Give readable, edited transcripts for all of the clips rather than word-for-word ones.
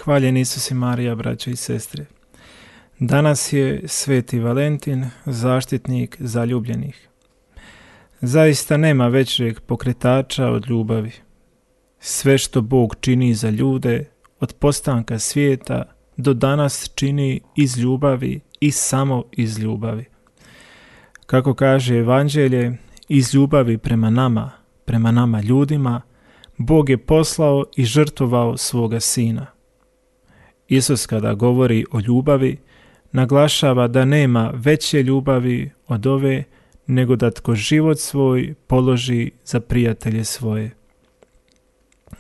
Hvaljen Isus i Marija, braćo i sestre. Danas je Sveti Valentin, zaštitnik zaljubljenih. Zaista nema većeg pokretača od ljubavi. Sve što Bog čini za ljude, od postanka svijeta do danas čini iz ljubavi i samo iz ljubavi. Kako kaže Evanđelje, iz ljubavi prema nama ljudima, Bog je poslao i žrtvovao svoga Sina. Isus kada govori o ljubavi, naglašava da nema veće ljubavi od ove, nego da tko život svoj položi za prijatelje svoje.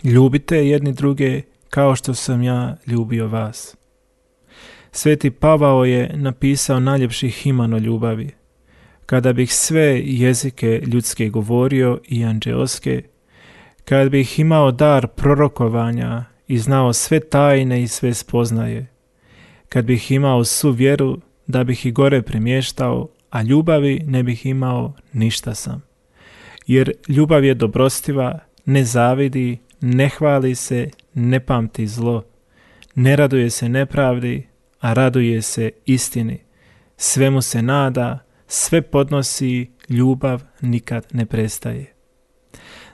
Ljubite jedni druge kao što sam ja ljubio vas. Sveti Pavao je napisao najljepši himan o ljubavi. Kada bih sve jezike ljudske govorio i anđeoske, kada bih imao dar prorokovanja i znao sve tajne i sve spoznaje, kad bih imao svu vjeru da bih i gore premještao, a ljubavi ne bih imao, ništa sam. Jer ljubav je dobrostiva, ne zavidi, ne hvali se, ne pamti zlo, ne raduje se nepravdi, a raduje se istini. Svemu se nada, sve podnosi, ljubav nikad ne prestaje.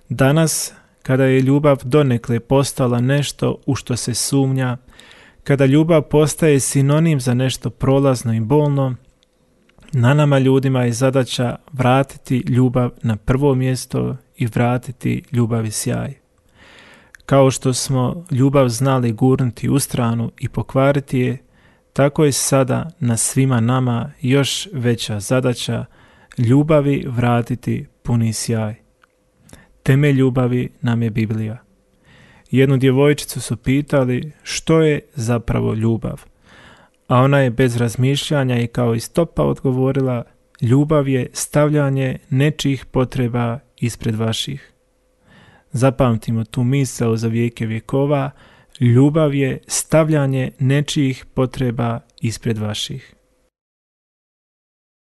Danas, kada je ljubav donekle postala nešto u što se sumnja, kada ljubav postaje sinonim za nešto prolazno i bolno, na nama ljudima je zadaća vratiti ljubav na prvo mjesto i vratiti ljubavi sjaj. Kao što smo ljubav znali gurnuti u stranu i pokvariti je, tako je sada na svima nama još veća zadaća ljubavi vratiti puni sjaj. Temelj ljubavi nam je Biblija. Jednu djevojčicu su pitali što je zapravo ljubav, a ona je bez razmišljanja i kao iz topa odgovorila: ljubav je stavljanje nečijih potreba ispred vaših. Zapamtimo tu misao za vijeke vjekova, ljubav je stavljanje nečijih potreba ispred vaših.